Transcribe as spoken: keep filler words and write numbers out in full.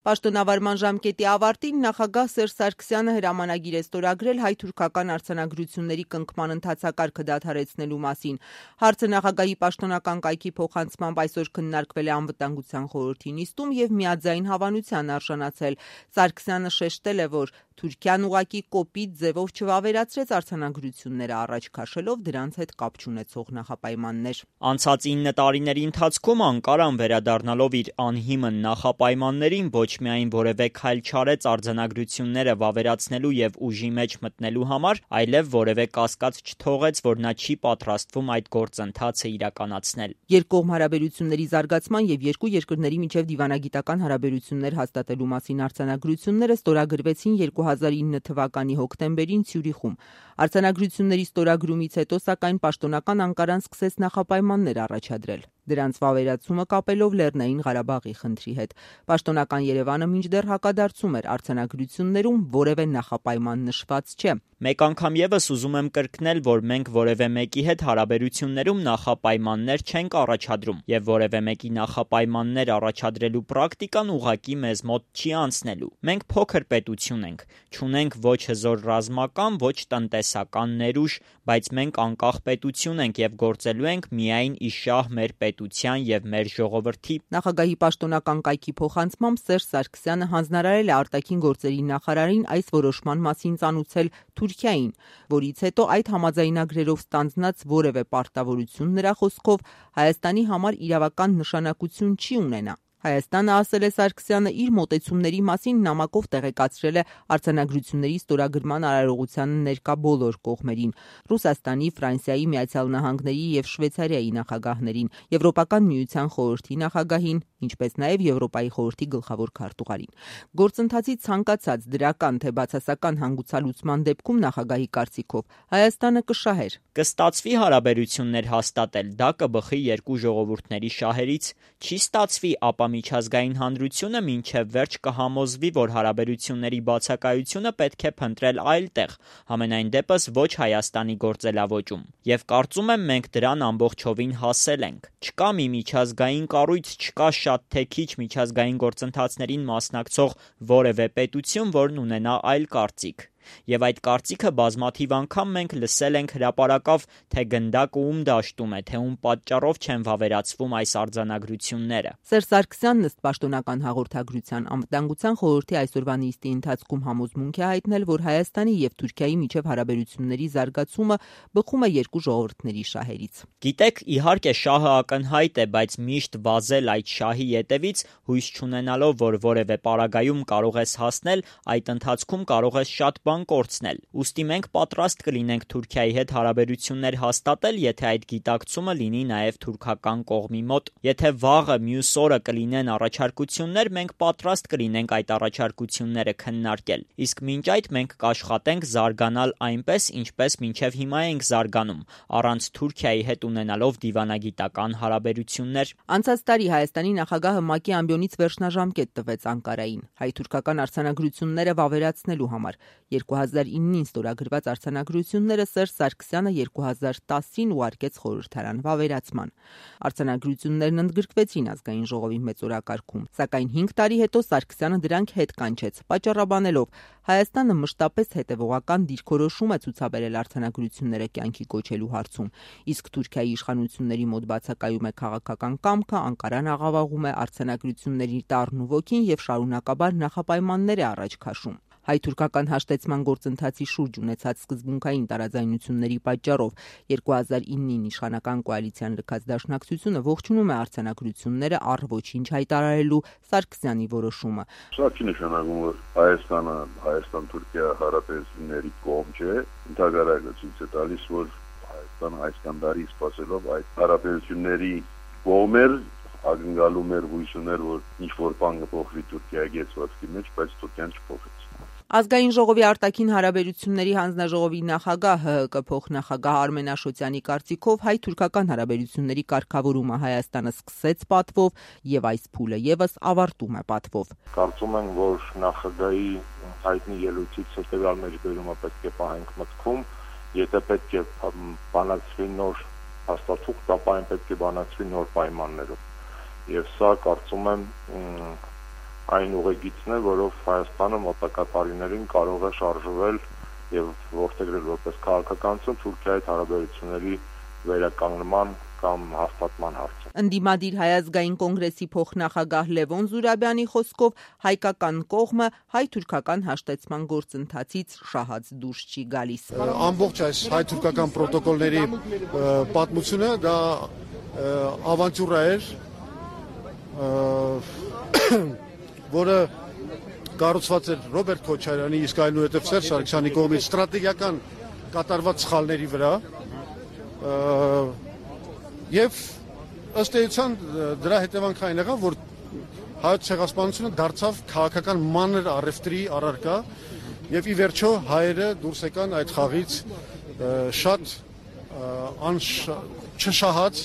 Պաշտոնավարման ժամկետի ավարտին նախագահ Սերժ Սարգսյանը հրամանագիր է ստորագրել հայ-թուրքական արձանագրությունների կնքման ընթացակարգը դադարեցնելու մասին։ Հարցը նախագահի պաշտոնական կայքի փոխանցմամբ այսօր քննարկվել է անվտանգության խորհրդի նիստում եւ միաձայն հավանության արժանացել։ Սարգսյանը շեշտել է, որ Թուրքիան ուղղակի կոպիտ ձևով չվավերացրեց արձանագրությունները, առաջ քաշելով դրանց հետ կապ չունեցող նախապայմաններ։ Անցած ինը տարիների ընթացքում Անկարան վերադառնալով իր անհիմն նախապայմաններին ոչ միայն որևէ քայլ չարեց արձանագրությունները վավերացնելու եւ ուժի մեջ մտնելու համար, այլև որևէ կասկած չթողեց, որ նա չի պատրաստվում այդ գործընթացը իրականացնել։ Երկկողմ հարաբերությունների զարգացման եւ երկու երկրների միջև դիվանագիտական հարաբերություններ հաստատելու մասին արձանագրությունները ստորագրվեցին երկու հազար ինը թվականի հոկտեմբերին Ցյուրիխում։ Արձանագրությունների ստորագրումից հետո, սակայն, պաշտոնական Անկարան սկսեց նախապայմաններ առաջադրել, դրանց վավերացումը կապելով Լեռնային Ղարաբաղի խնդրի հետ։ Պաշտոնական Երևանը մինչդեռ հակադարձում էր, արձանագրություններում որևէ նախապայման նշված չէ։ Մեկ անգամ եւս ուզում եմ կրկնել, որ մենք որևէ մեկի հետ հարաբերություններում նախապայմաններ չենք առաջադրում եւ որևէ մեկի նախապայմաններ առաջադրելու պրակտիկան ուղղակի մեզ մոտ չի անցնելու։ Մենք փոքր պետություն ենք, չունենք ոչ հզոր ռազմական, ոչ տնտեսական ներուժ, բայց մենք անկախ պետություն ենք եւ գործելու ենք միայն իշահ մեր պետության եւ մեր ժողովրդի։ Նախագահի պաշտոնական կայքի փոխանցմամբ Սերժ Սարգսյանը հանձնարարել է արտաքին գործերի նախարարին այս որոշման մասին ծանուցել Թուրքիային, որից հետո այդ համաձայնագրերով ստանձնած որևէ պարտավորություն նրա խոսքով Հայաստանի համար իրավական նշանակություն չի ունենա։ Հայաստանը, ասել է Սարգսյանը, իր մոտեցումների մասին նամակով տեղեկացրել է արձանագրությունների ստորագրման արարողությանը ներկա բոլոր կողմերին՝ Ռուսաստանի, Ֆրանսիայի, Միացյալ Նահանգների եւ Շվեյցարիայի նախագահներին, Եվրոպական միության խորհրդի նախագահին, ինչպես նաեւ Եվրոպայի խորհրդի գլխավոր քարտուղարին։ Գործընթացի ցանկացած դրական թե բացասական հանգուցալուծման դեպքում նախագահի կարծիքով Հայաստանը կշահեր։ Կստացվի հարաբերություններ հաստատել, դա կբխի երկու ժողովուրդների շահերից, չի ստացվի, ապա միջազգային հանրությունը մինչև վերջ կհամոզվի, որ հարաբերությունների բացակայությունը պետք է փնտրել այլ տեղ, համենայն դեպս ոչ Հայաստանի գործելավոճում։ Եվ կարծում եմ մենք դրան ամբողջովին հասել ենք։ Չկա մի միջազգային կառույց, չկա շատ թե քիչ միջազգային գործընթացներին մասնակցող որևէ պետություն, որն ունենա այլ կարծիք։ Եվ այդ կարծիքը բազմաթիվ անգամ մենք լսել ենք հրապարակավ, թե գնդակը ում դաշտում է, թե ում պատճառով չեն վավերացվում այս արձանագրությունները։ Սերժ Սարգսյանն ըստ պաշտոնական հաղորդագրության անվտանգության խորհրդի այսօրվա նիստի ընթացքում համոզմունք է հայտնել, որ Հայաստանի եւ Թուրքիայի միջև հարաբերությունների զարգացումը բխում է երկու ժողովուրդների շահերից։ Գիտեք, իհարկե շահը ակնհայտ է, բայց միշտ վազել այդ շահի ետևից, հույս չունենալով, որ որևէ պարագայում կարող ես հասնել, այդ ընթացքում կարող ես շատ բան կորցնել։ Ուստի մենք պատրաստ կլինենք Թուրքիայի հետ հարաբերություններ հաստատել, եթե այդ գիտակցումը լինի նաև թուրքական կողմի մոտ։ Եթե վաղը մյուս օրը կլինեն առաջարկություններ, մենք պատրաստ կլինենք այդ առաջարկությունները քննարկել։ Իսկ մինչ այդ մենք կաշխատենք զարգանալ այնպես, ինչպես մինչև հիմա ենք զարգանում, առանց Թուրքիայի հետ ունենալով դիվանագիտական հարաբերություններ։ Անցած տարի Հայաստանի նախագահը ՄԱԿ-ի ամբիոնից վերջնաժամկետ տվեց Անկարային հայ-թուրքական արձանագրությունները վավերացնելու համար։ երկու հազար իննին ստորագրված արձանագրությունները Սերժ Սարգսյանը երկու հազար տասին ուղարկեց խորհրդարան վավերացման։ Արձանագրություններն ընդգրկվեցին ազգային ժողովի մեծօրակարգում, սակայն հինգ տարի հետո Սարգսյանը դրանք հետ կանչեց, պատճառաբանելով Հայաստանը մշտապես հետևողական դիրքորոշում է ցուցաբերել արձանագրությունները կյանքի կոչելու հարցում, իսկ Թուրքիայի իշխանությունների մոտ բացակայում է քաղաքական կամքը, Անկարան աղավաղում է արձանագրությունների տառն ու ոգին եւ շարունակաբար նախապայմաններ է առաջ քաշում։ Հայ-թուրքական հաշտեցման գործընթացի շուրջ ունեցած սկզբունքային տարաձայնությունների պատճառով երկու հազար իննին իշխանական կոալիցիան լքած դաշնակցությունը ողջունում է արձանագրությունները առ ոչինչ հայտարարելու Սարգսյանի որոշումը։ Սա չի նշանակում, որ Հայաստանը Հայաստան-Թուրքիա հարաբերությունների կողմ չէ, ընդհանրապես ցույց է տալիս, որ Հայաստանը այսքան տարի սպասելով այդ հարաբերությունների կողմ էր, ակնկալում էր, հույս ուներ, որ ինչ որ բան կփոխվի Թուրքիայի գեցվածքի մեջ, բայց Թուրքիան չփոխեց։ Ազգային ժողովի արտաքին հարաբերությունների հանձնաժողովի նախագահ ՀՀԿ փոխնախագահ Արմեն Աշոտյանի կարծիքով հայ-թուրքական հարաբերությունների կարգավորումը Հայաստանը սկսեց պատվով եւ այս փուլը եւս ավարտում է պատվով։ Կարծում եմ, որ նախագահի հայտնի ելույթից հետեւյալ մեջբերումը պետք է պահենք մտքում, եթե պետք է բանակցվի նոր հաստատող, ապա այն պետք է բանակցվի նոր պայմաններով։ Եվ սա կարծում եմ այն ուղեգիծն է, որով Հայաստանը մոտակա տարիներին կարող է շարժվել եւ որդեգրել որպես քաղաքականություն Թուրքիայի հարաբերությունների վերականգնման կամ հաստատման հարցը։ Ընդդիմադիր Հայ ազգային կոնգրեսի փոխնախագահ Լևոն Զուրաբյանի խոսքով հայկական կողմը հայ-թուրքական հաշտեցման գործընթացից շահած դուրս չի գալիս։ Ամբողջ այս հայ-թուրքական պրոտոկոլների պատմությունը դա ավանտյուրա էր, որը կառուցված էր Ռոբերտ Քոչարյանի, իսկ այնուհետև Սերժ Սարգսյանի կողմից ստրատեգիական կատարված սխալների վրա, եւ ըստ էության դրա հետևանքային եղավ, որ հայոց ցեղասպանությունը դարձավ քաղաքական մանր առևտրի առարկա եւ ի վերջո հայերը դուրս եկան այդ խաղից շատ չշահած